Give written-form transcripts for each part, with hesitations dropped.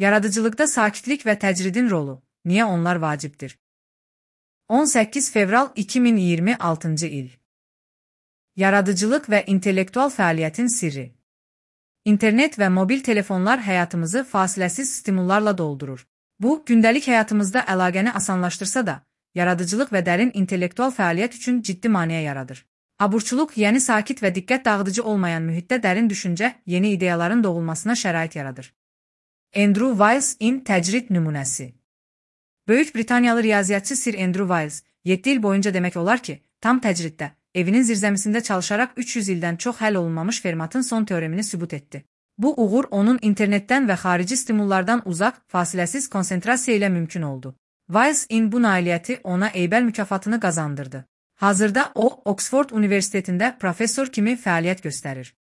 Yaradıcılıqda sakitlik və təcridin rolu. Niyə onlar vacibdir? 18 fevral 2026-cı il. Yaradıcılıq və intellektual fəaliyyətin sirri. İnternet və mobil telefonlar həyatımızı fasiləsiz stimullarla doldurur. Bu, gündəlik həyatımızda əlaqəni asanlaşdırsa da, yaradıcılıq və dərin intellektual fəaliyyət üçün ciddi maneə yaradır. Aburçuluq yeni sakit və diqqət dağıdıcı olmayan mühitdə dərin düşüncə, yeni ideyaların doğulmasına şərait yaradır. Andrew Wiles-in təcrid nümunəsi. Böyük Britaniyalı riyaziyyatçı Sir Andrew Wiles, 7 il boyunca demək olar ki, tam təcriddə, evinin zirzəmisində çalışaraq 300 ildən çox həll olunmamış Fermatın son teoremini sübut etdi. Bu uğur onun internetdən və xarici stimullardan uzaq, fasiləsiz konsentrasiya ilə mümkün oldu. Wiles-in bu nailiyyəti ona Eybel mükafatını qazandırdı. Hazırda o, Oxford Universitetində professor kimi fəaliyyət göstərir.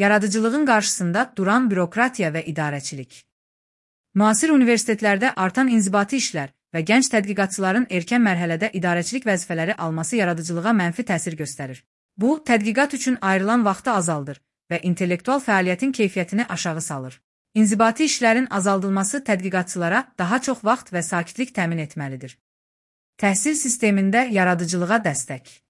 Yaradıcılığın qarşısında duran bürokratiya və idarəçilik. Müasir universitetlərdə artan inzibati işlər və gənc tədqiqatçıların erkən mərhələdə idarəçilik vəzifələri alması yaradıcılığa mənfi təsir göstərir. Bu, tədqiqat üçün ayrılan vaxtı azaldır və intellektual fəaliyyətin keyfiyyətini aşağı salır. İnzibati işlərin azaldılması tədqiqatçılara daha çox vaxt və sakitlik təmin etməlidir. Təhsil sistemində yaradıcılığa dəstək.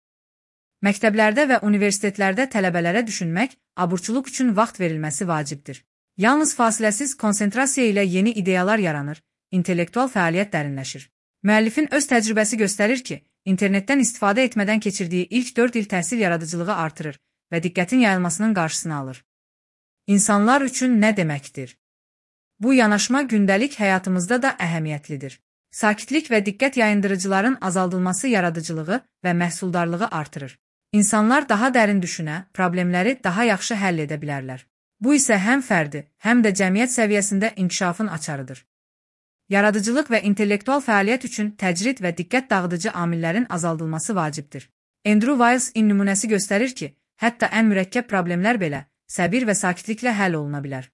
Məktəblərdə və universitetlərdə tələbələrə düşünmək, aburçuluq üçün vaxt verilməsi vacibdir. Yalnız fasiləsiz konsentrasiya ilə yeni ideyalar yaranır, intellektual fəaliyyət dərinləşir. Müəllifin öz təcrübəsi göstərir ki, internetdən istifadə etmədən keçirdiyi ilk 4 il təhsil yaradıcılığı artırır və diqqətin yayılmasının qarşısını alır. İnsanlar üçün nə deməkdir? Bu yanaşma gündəlik həyatımızda da əhəmiyyətlidir. Sakitlik və diqqət yayındırıcıların azaldılması yaradıcılığı və məhsuldarlığı artırır. İnsanlar daha dərin düşünə, problemləri daha yaxşı həll edə bilərlər. Bu isə həm fərdi, həm də cəmiyyət səviyyəsində inkişafın açarıdır. Yaradıcılıq və intellektual fəaliyyət üçün təcrid və diqqət dağıdıcı amillərin azaldılması vacibdir. Andrew Wiles-in nümunəsi göstərir ki, hətta ən mürəkkəb problemlər belə səbir və sakitliklə həll oluna bilər.